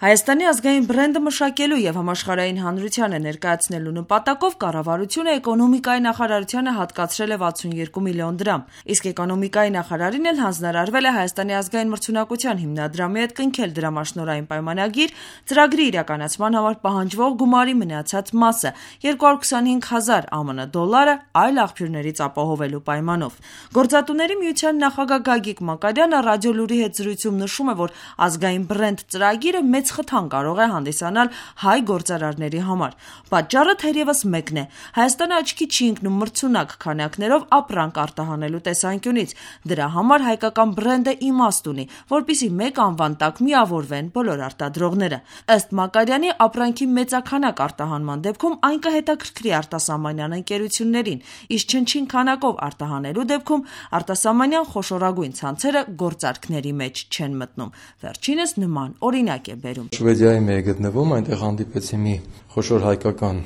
Հայաստանի ազգային բրենդը մշակելու եւ համաշխարհային հանրությանը ներկայացնելու նպատակով կառավարությունը էկոնոմիկայի նախարարությանը հատկացրել է 62 միլիոն դրամ, իսկ էկոնոմիկայի նախարարին էլ հանձնարարվել է Հայաստանի ազգային մրցունակության հիմնադրամի հետ կնքել դրամաշնորհային պայմանագիր ծրագրի իրականացման համար պահանջվող գումարի մնացած մասը 225,000 ԱՄՆ դոլարը այլ աղբյուրներից ապահովելու պայմանով։ Գործատուների միության նախագահ Գագիկ Մակարյանը ռադիոլուրի հետ զրույցում նշում է, որ ազգային բրենդ ծրագիրը մեծ խթան կարող է հանդիսանալ հայ գործարարների համար։ Պատճառը թերևս մեկն է. Հայաստանը աչքի չի ընկնում մրցունակ քանակներով ապրանք արտահանելու տեսանկյունից։ Դրա համար հայկական բրենդը իմաստ ունի, որպեսզի մեկ անվան տակ միավորվեն բոլոր արտադրողները։ Ըստ Մակարյանի, ապրանքի մեծաքանակ արտահանման դեպքում այն կհետաքրքրի արտասահմանյան ընկերություններին, իսկ չնչին քանակով արտահանելու դեպքում արտասահմանյան խոշորագույն ցանցերը գործարքների մեջ չեն մտնում։ Վերջինս նման օրինակ է բերում. Շվեդիայի մեջ գտնվում, այնտեղ հանդիպեցի մի խոշոր հայկական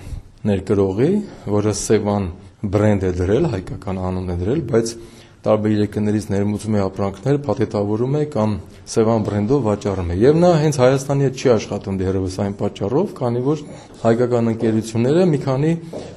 ներկրողի, որը Սևան բրենդ է դրել, հայկական անուն է դրել, բայց տարբեր երկրներից ներմուծում է ապրանքներ, փաթեթավորում է կամ Սևան բրենդով վաճառում է։ Եվ նա հենց Հայաստանի հետ չի աշխատում դեռևս այն պատճառով, քանի որ հայկական ընկերությունները մի քանի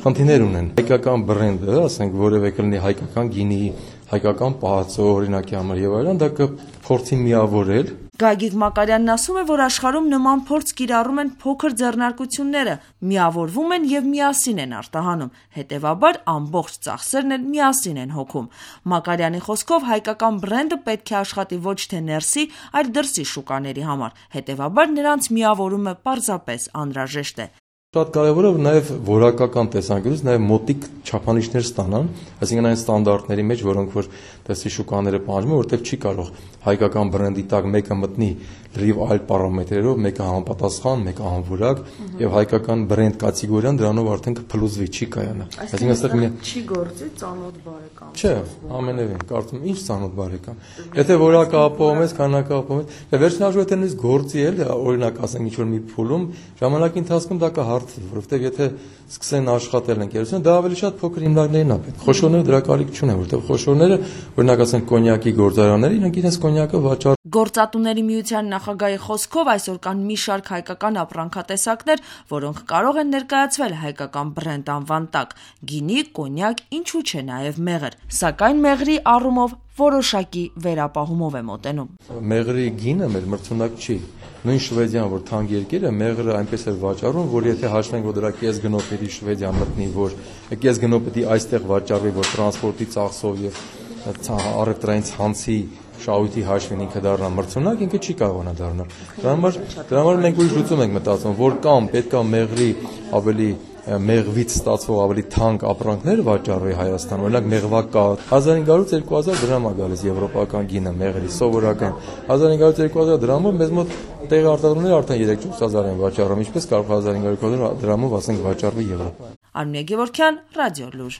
խնդիրներ ունեն։ Հայկական բրենդը, ասենք որևէ կլինի հայկական գինի, հայկական պահածո օրինակի համար եւ այլն, դա կփորձի միավորել։ Գագիկ Մակարյանն ասում է, որ աշխարհում նման փորձ կիրառում են փոքր ձեռնարկությունները, միավորվում են եւ միասին են արտահանում, հետեւաբար ամբողջ ծախսերն են միասին են հոգում։ Մակարյանի խոսքով հայկական բրենդը պետք է աշխատի ոչ թե ներսի, այլ դրսի շուկաների համար, հետեւաբար նրանց միավորումը պարզապես անհրաժեշտ է։ Շատ կարևոր է նաև որակական տեսանկյունից նաև մոտիկ չափանիշներ ստանան, այսինքն այն ստանդարտների մեջ, որոնք որ դրսի շուկաները պահանջում են, որտեղ չի կարող հայկական բրենդի տակ մեկը մտնի լրիվ այլ պարամետրերով, մեկը համապատասխան, մեկը անորակ եւ հայկական բրենդ կատեգորիան դրանով արդեն կփլուզվի, չի կայանա։ Այսինքն այստեղ չի գործի ծանոթ բարեկամ։ Չէ, ամենևին, կարծում ինչ ծանոթ բարեկամ։ Եթե որակը ապահովում ես, քանակը ապահովում ես, վերջին հաշվով եթե նույնիսկ գործի էլ, օրինակ ասենք ինչ որ մի փուլում, ժամանակի ընթացքում դա կհարթի, որովհետեւ եթե սկսեն աշխատել ընկերությունը, դա ավելի շատ փոքր հիմնարկներն է պետք։ Խոշորները դրա կարիք չունեն, որովհետեւ խոշորները, օրինակ ասենք կոնյակի գործարանները, իրենք իրենց կոնյակը վաճառ Գործատուների միության նախագահի խոսքով այսօր կան մի շարք հայկական ապրանքատեսակներ, որոնք կարող են ներկայացվել հայկական բրենդ անվան տակ՝ գինի, կոնյակ, ինչու՞ չէ նաև մեղր, սակայն մեղրի առումով որոշակի վերապահումով է մոտենում։ Մեղրի գինը մեր մրցունակ չի։ Նույն Շվեդիան, որ թանկ երկիր է, մեղրը այնպես է վաճառում, որ եթե հաշվենք, որ դրա կես գնով պետք է Շվեդիան մտնի, որ կես գնով պետք է այստեղ վաճառվի, որ տրանսպորտի ծախսով եւ առևտրային ցանցի շահույթի հաշվին ինքը դառնա մրցունակ, ինքը չի կարողանա դառնալ։ Դրա համար մենք ուրիշ լուծում ենք մտածում, որ կամ պետքա մեղրի ավելի մեղվից ստացվող ավելի թանկ ապրանքներ վաճառվի Հայաստան, օրինակ մեղվակա 1500-2000 դրամ է գալիս եվրոպական գինը մեղրի սովորական 1500-2000 դրամով մեզ մոտ տեղի արտադրողները արդեն 3-4000 են վաճառում, ինչպես կարող 1500 դրամով ասենք վաճառվի Եվրոպայում։ Արմինե Գևորգյան, Ռադիոլուր։